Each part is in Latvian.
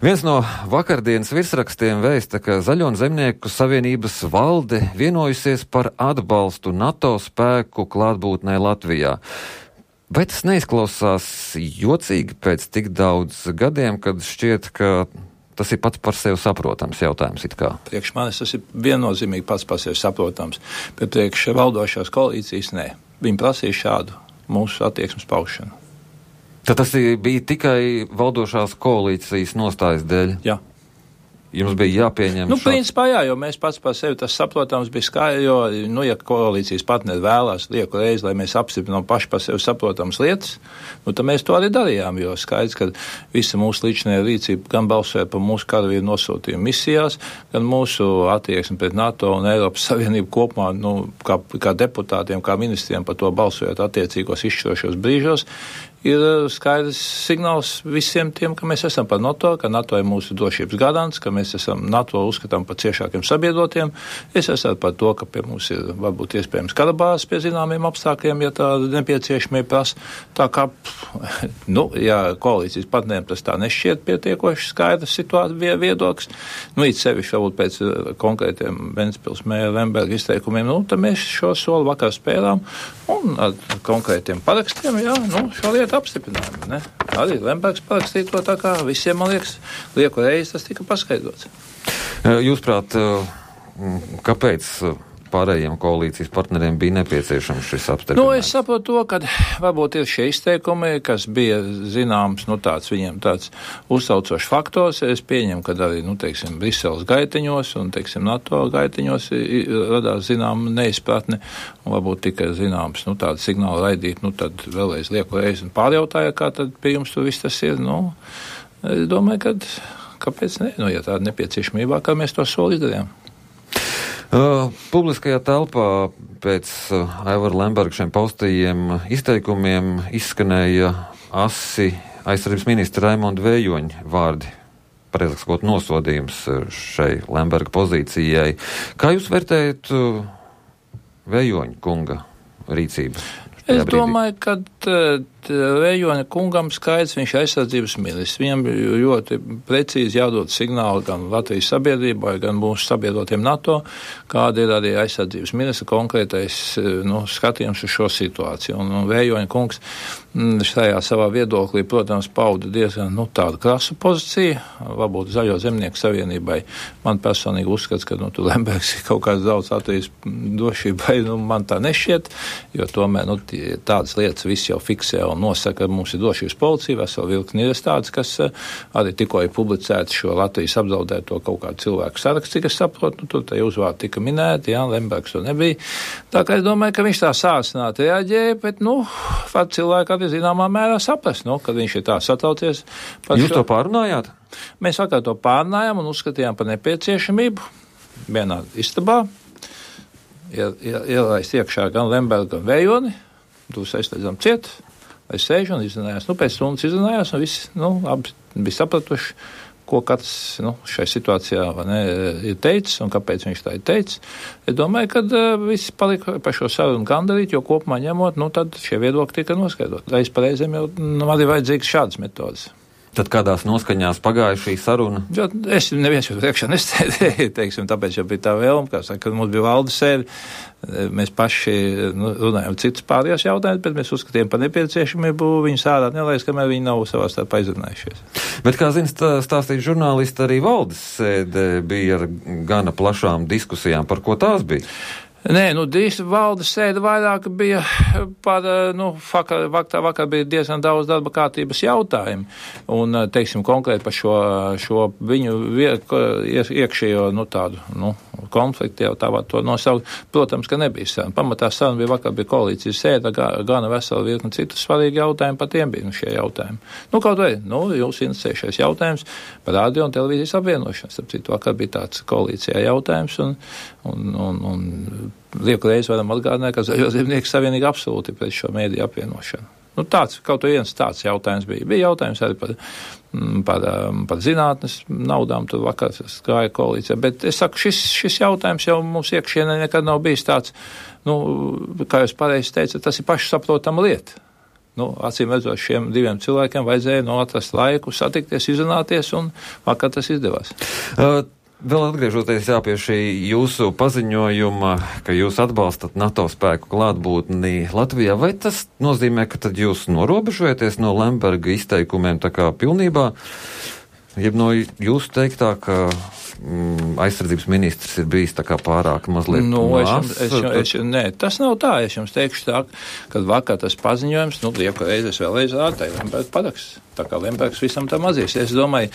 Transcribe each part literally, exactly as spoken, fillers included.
Viens no vakardienas virsrakstiem vēsta, ka Zaļo un Zemnieku savienības valde vienojusies par atbalstu NATO spēku klātbūtnē Latvijā. Vai tas neizklausās jocīgi pēc tik daudz gadiem, kad šķiet, ka tas ir pats par sevi saprotams jautājums it kā? Priekš manis tas ir viennozīmīgi pats par sevi saprotams, bet priekš valdošās koalīcijas nē. Viņi prasīja šādu mūsu attieksmes paušanu. Tad tas bija tikai valdošās koalīcijas nostājas dēļ? Jā. Jums bija jāpieņem Nu, šāds... principā jā, jo mēs pats par sevi tas saprotams bija skaidrs, jo, nu, ja koalīcijas partneri vēlās lieku reizi, lai mēs apstiprinām paši par sevi saprotams lietas, nu, tad mēs to arī darījām, jo skaidrs, ka visa mūsu līdzinējā rīcība gan balsoja par mūsu karavīru nosūtījumu misijās, gan mūsu attieksmi pret NATO un Eiropas Savienību kopumā, nu, kā, kā deputātiem, kā ministriem par to balsojot attiecīgos izšķirošos brīžos, ir skaidrs signāls visiem tiem, ka mēs esam par NATO, ka NATO ir mūsu drošības garants, ka mēs esam NATO uzskatām par ciešākiem sabiedrotiem. Es esmu par to, ka pie mums ir varbūt iespējams karabāzes pie zināmiem apstākļiem, ja tā nepieciešamie prasa. Tā kā, nu, ja koalīcijas partneriem tas tā nešķiet pietiekoši skaidrs situācija viedoklis, nu, it sevišķi varbūt pēc konkrētiem Ventspils mēra Lemberga izteikumiem, nu, tad mēs šo soli vakar spēlām un ar konkrētiem parakstiem, jā, nu, šo lietu apstiprinājumi, ne? Arī Lembergs parakstīja to tā kā visiem, man liekas, lieku reizi tas tika paskaidrots. Jūsprāt, kāpēc pārējiem koalīcijas partneriem bija nepieciešams šis apstiprinājums? Nu, es saprotu to, ka varbūt ir šie izteikumi, kas bija zināms, nu, tāds viņiem tāds uzsaucošs faktors. Es pieņemu, ka arī, nu, teiksim, Briseles gaitiņos un, teiksim, NATO gaitiņos radās zinām neizpratne un varbūt tikai zināms, nu, tādu signālu raidīt, nu, tad vēlreiz lieku reizi un pārjautāja, kā tad pie jums tur viss tas ir, nu, es domāju, ka kāpēc ne, nu, ja tāda nepieciešamībā, kā mēs to soli izdarījām. Uh, publiskajā telpā pēc uh, Aivara Lemberga šiem paustajiem izteikumiem izskanēja asi aizsardzības ministra Raimonda Vējoņa vārdi, pareizāk sakot, nosodījums šai Lemberga pozīcijai. Kā jūs vērtējat uh, Vējoņa kunga rīcību? Es domāju, ka Vējoņa kungam skaidrs, viņš ir aizsardzības ministrs. Viņam ļoti precīzi jādod signāli gan Latvijas sabiedrībai, gan mūsu sabiedrotiem NATO, kāda ir arī aizsardzības ministra konkrētais, nu, skatījums uz šo situāciju. Un, un Vējoņa kungs šajā savā viedoklī, protams, pauda diezgan, nu, tādu krasu pozīciju, varbūt Zaļo Zemnieku savienībai. Man personīgi uzskats, ka, nu, tu Lembergs ir kaut kāds daudz Latvijas drošībai, nu, man tā nešķiet, jo tomēr, nu, tādas lietas viss jau fiksē un nosaka, ka mums ir drošības policija, vesela virkni ir tādas, kas arī tikko ir publicēti šo Latvijas apdraudēto kaut kādu cilvēku sarakstu, cik es saprotu, nu, tur tā uzvārdi tika minēti, jā, Lembergs to nebija. Tā kā es domāju, ka viņš tā sāsināti reaģēja, bet, nu, pat cilvēki arī zināmā mērā saprast, nu, kad viņš ir tā satraucies. Jūs šo... to pārunājāt? Mēs vakar to pārunājām un uzskatījām par nepieciešamību vienā istabā, ielaist iekšā gan Lembergu, gan Vējoni, tūs aizslēdzam ciet, lai sēž un izrunājās. Nu, pēc stundas izrunājās un visi, nu, abi bija sapratuši, ko katrs, nu, šai situācijā, vai ne, ir teicis un kāpēc viņš tā ir teicis. Es domāju, ka uh, visi palika par šo sarunu gandarīt, jo kopumā ņemot, nu, tad šie viedokļi tika noskaidrot. Reiz par reizēm jau, nu, arī vajadzīgas šādas metodas. Tad kādās noskaņās pagāja šī saruna? Jo es neviens jau priekšā nestēdēju, teiksim, tāpēc jau bija tā vēlme, kā saka, kad mums bija valdes sēde, mēs paši, nu, runājam citus pārējos jautājumus, bet mēs uzskatījām par nepieciešamību viņus ārā nelaist, kamēr viņi nav savā starpā izrunājušies. Bet, kā zina stāstīt žurnālisti, arī valdes sēde bija ar gana plašām diskusijām, par ko tās bija? Nē, nu, valdes sēde vairāk bija par, nu, vakar, vakar, vakar bija diezgan daudz darba kārtības jautājumu, un, teiksim, konkrēti par šo, šo viņu iekšējo, nu, tādu, nu, konfliktu jau tā var to nosaukt. Protams, ka nebija saruna. Pamatā saruna bija vakar, bija koalīcijas sēde, gana vesela virkni citu svarīgi jautājumi, par tiem bija, nu, šie jautājumi. Nu, kaut vai, nu, jūs interesējušies jautājums par radio un televīzijas apvienošanas. Starp citu, vakar bija tāds koalīcijā jautājums, un, un, un, un lieku reizi varam atgādināt, ka Zaļo Zemnieku savienība absolūti pret šo mēdīju apvienošanu. Nu, tāds, kaut viens tāds jautājums bija. Bija jautājums arī par, par, par zinātnes naudām, tur vakar gāja koalīcijā, bet es saku, šis, šis jautājums jau mums iekšienē nekad nav bijis tāds, nu, kā jūs pareizi teicat, tas ir pašsaprotama lieta. Nu, acīm redzot, šiem diviem cilvēkiem vajadzēja nu, atrast laiku, satikties, izrunāties, un vakar tas izdevās. Uh, vēl atgriežoties jā, pie šī jūsu paziņojuma, ka jūs atbalstat NATO spēku klātbūtni Latvijā, vai tas nozīmē, ka tad jūs norobežojaties no Lemberga izteikumiem tā kā pilnībā, jeb no jūsu teiktā, ka mm, aizsardzības ministrs ir bijis tā kā pārāk mazliet nu, mās? Es, es, es, nē, tas nav tā. Es jums teikšu tā, kad vakar tas paziņojums, nu, lieku reizes vēlreiz ārtai Lemberga paraksts. Tā kā Lembergs visam tam atzīs. Es domāju,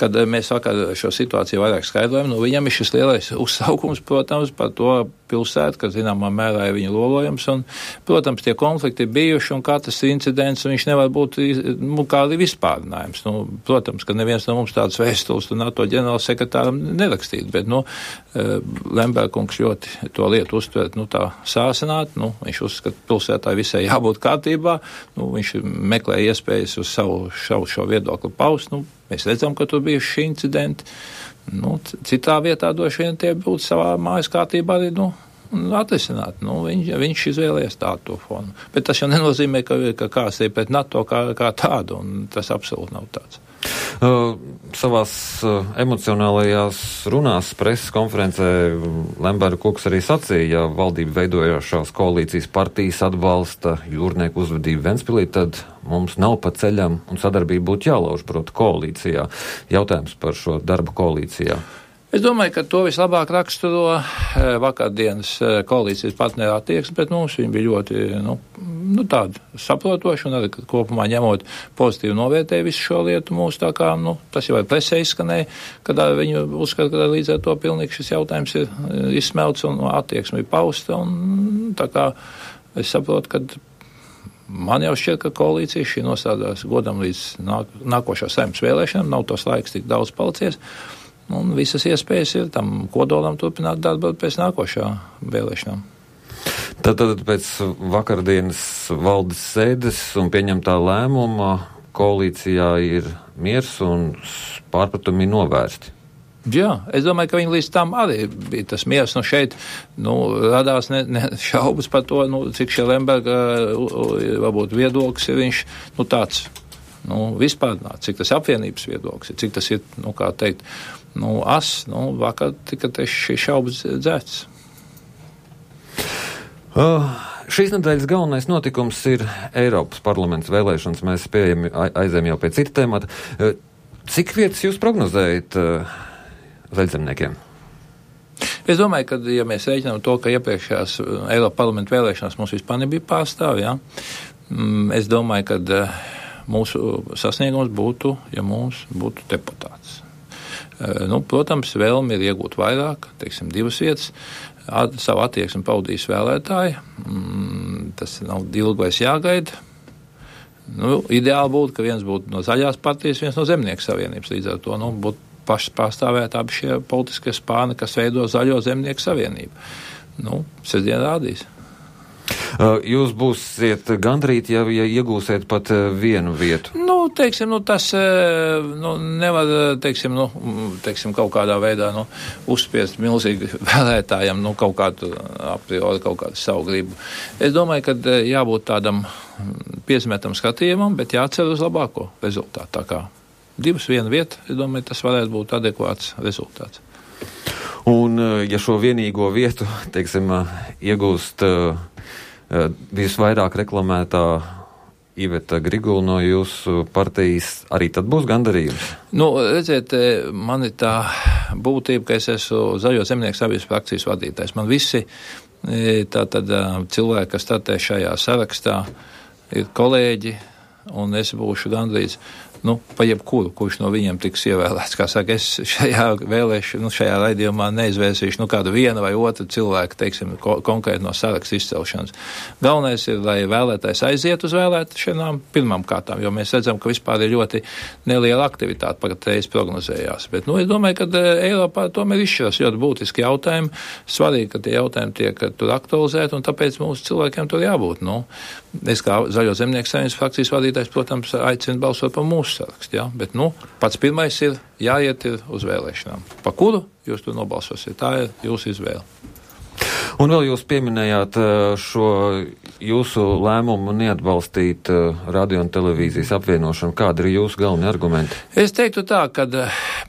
kad mēs vakar šo situāciju vairāk skaidrojam, nu, viņam ir šis lielais uzsaukums, protams, par to pilsētu, kas zināmā mērā ir viņa lolojums, un, protams, tie konflikti ir bijuši, un katrs incidents, un viņš nevar būt, nu, kā arī vispārinājums. Nu, protams, ka neviens no mums tāds vēstules un NATO ģenerālsekretāram nerakstītu, bet, nu, Lemberkungs ļoti to lietu uztvērt, nu, tā sāsināt, nu, viņš uzskata, pilsētāji visai jābūt kārtībā, nu, viņš meklē iespējas uz savu, savu šo viedokli paust, nu, mēs redzam, ka tur bija šī incidenti. Nu, citā vietā droši vien tie būtu savā mājas kārtībā arī, nu, atrisināt. Nu, viņš, viņš izvēlējās tādu fonu. Bet tas jau nenozīmē, ka, ka kāds ir pret NATO kā, kā tādu, un tas absolūti nav tāds. Uh, savās uh, emocionālajās runās preses konferencē Lemberga kungs arī sacīja, ja valdība veidojošās koalīcijas partijas atbalsta jūrnieku uzvedību Ventspilī, tad mums nav pa ceļam un sadarbība būtu jālauž, proti, koalīcijā. Jautājums par šo darbu koalīcijā. Es domāju, ka to vislabāk raksturo vakardienas koalīcijas partneru attieksme, bet mums viņi bija ļoti, nu, nu tādi saprotoši un arī kopumā ņemot pozitīvi novērtēja visu šo lietu mūsu tā kā, nu, tas jau ir presē izskanēja, kad viņi uzskata, ka līdz ar to pilnīgi šis jautājums ir izsmelts un attieksme ir pausta, un tā kā es saprotu, ka man jau šķiet, ka koalīcija šī nostādās godam līdz nāk, nākošā saimnes vēlēšanām, nav tos laiks tik daudz palicies. Un visas iespējas ir tam kodolam turpināt darbu pēc nākošā vēlēšanām. Tad, tad pēc vakardienas valdes sēdes un pieņemtā lēmuma koalīcijā ir miers un pārpratumi novērsti. Jā, es domāju, ka viņi līdz tam arī bija tas miers. Nu šeit, nu, radās ne, ne šaubas par to, nu, cik šie Lemberga, varbūt viedoklis ir viņš, nu, tāds, nu, vispārnāt, cik tas apvienības viedoklis ir, cik tas ir, nu, kā teikt, nu, as, nu, vakar tika šī šaubas dzēts. Uh, šīs nedēļas galvenais notikums ir Eiropas parlaments vēlēšanas. Mēs pieejam aizējam jau pie cita temata. Uh, cik vietas jūs prognozējat uh, zaļzemniekiem? Es domāju, ka, ja mēs rēķinām to, ka iepriekšējās Eiropas parlamenta vēlēšanās mums vispār nebija pārstāvi, ja, es domāju, ka uh, mūsu sasniegums būtu, ja mums būtu deputāts. Nu, protams, vēlmi ir iegūt vairāk, teiksim, divas vietas, at, savu attieksmi paudīs vēlētāji, mm, tas nav ilgi vairs jāgaida. Nu, ideāli būtu, ka viens būtu no zaļās partijas, viens no zemnieku savienības, līdz ar to, nu, būtu paši pārstāvēt abi šie politiskie spāni, kas veido zaļo zemnieku savienību. Nu, sestdien rādīs. Jūs būsiet gandrīt, ja, ja iegūsiet pat vienu vietu? Nu, teiksim, nu, tas nu, nevar, teiksim, nu, teiksim, kaut kādā veidā, nu, uzspiest milzīgi vēlētājiem, nu, kaut kādu a priori, kaut kādu savu gribu. Es domāju, ka jābūt tādam piesmētam skatījumam, bet jācer uz labāko rezultātu. Tā kā divas viena vieta, es domāju, tas varētu būt adekvāts rezultāts. Un, ja šo vienīgo vietu, teiksim, iegūst visvairāk reklamētā Iveta Grigula no jūsu partijas, arī tad būs gandarījums? Nu, redziet, man ir tā būtība, ka es esmu Zaļo zemnieku sabiedrības frakcijas vadītājs. Man visi tātad cilvēki, kas startē šajā sarakstā, ir kolēģi, un es būšu gandrīz, nu, pa jebkuru, kurš no viņiem tiks ievēlēts. Kā saka, es šajā vēlēšu, nu, šajā raidījumā neizvērsīšu, nu, kādu vienu vai otru cilvēku, teiksim, ko, konkrēti no saraksta izcelšanas. Galvenais ir, lai vēlētājs aiziet uz vēlēšanām pirmām kārtām, jo mēs redzam, ka vispār ir ļoti neliela aktivitāte, patreiz prognozējās. Bet, nu, es domāju, ka Eiropā tomēr izšķiras ļoti būtiski jautājumi. Svarīgi, ka tie jautājumi tiek tur aktualizēti, un tāpēc mūsu cilvēkiem tur jābūt. Nu, es kā Zaļo zemnieku savienības frakcijas vadītājs, protams, aicinu balsot par mūsu sarakstu, ja? Bet, nu, pats pirmais ir jāiet ir uz vēlēšanām. Pa kuru jūs tur nobalsosiet? Tā ir jūsu izvēle. Un vēl jūs pieminējāt šo jūsu lēmumu neatbalstīt uh, radio un televīzijas apvienošanu? Kādi ir jūsu galvenie argumenti? Es teiktu tā, ka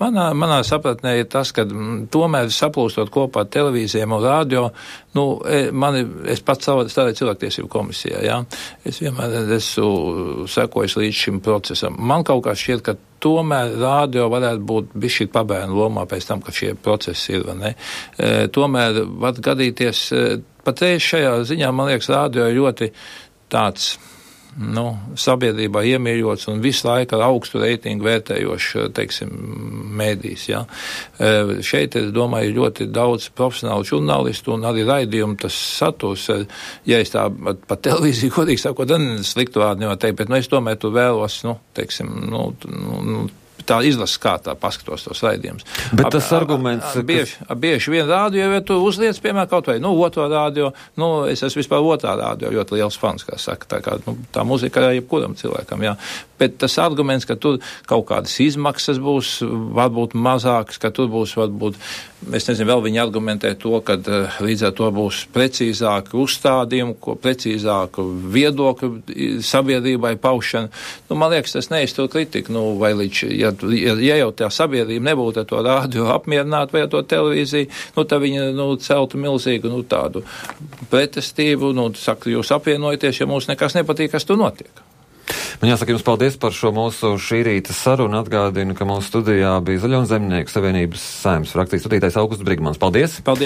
manā, manā sapratnē ir tas, ka m, tomēr saplūstot kopā televīzijām un radio, nu, mani, es pats strādāju cilvēktiesību komisijā, jā. Es vienmēr esmu sekojis līdz šim procesam. Man kaut kā šķiet, ka tomēr radio varētu būt bišķīt pabērnu lomā pēc tam, ka šie procesi ir, vai ne? E, tomēr var gadīties, e, patreiz šajā ziņā, man liekas, radio ir ļoti tāds, nu, sabiedrībā iemīļots un visu laiku ar augstu reitingu vērtējoši, teiksim, mēdīs, jā. E, šeit, es domāju, ļoti daudz profesionālu žurnālistu un arī raidījumu tas saturs, ja es tā pa televīziju, godīgi sakot, sliktu vārdu nevar teikt, bet, nu, es tomēr tu vēlos, nu, teiksim, nu, nu tā izlases kārtā paskatos tos raidījumus. Bet tas a, arguments... A, a, bieži, a, bieži vien rādio, ja tu uzliec, piemēram, kaut vai, nu, otro rādio, nu, es esmu vispār otrā rādio, ļoti liels fans, kā saka, tā kā, nu, tā muzika ir jebkuram cilvēkam, jā. Bet tas arguments, ka tur kaut kādas izmaksas būs, varbūt mazākas, ka tur būs, varbūt, es nezinu, vēl viņi argumentē to, ka uh, līdz ar to būs precīzāki uzstādījumi, ko precīzāku viedokļu sabiedrībai paušana. Nu, man liekas, tas neiztur kritiku, nu, vai līdz, ja, ja, ja jau tā sabiedrība nebūtu ar to rādio apmierināta vai ar to televīziju, nu, tā viņa, nu, celtu milzīgu, nu, tādu pretestību, nu, saka, jūs apvienojaties, ja mums nekas nepatīk, kas tur notiek. Man jāsaka jums paldies par šo mūsu šī rīta sarunu. Atgādinu, ka mūsu studijā bija Zaļo un Zemnieku savienības Saeimas frakcijas vadītājs Augusts Brigmans. Paldies! Paldies!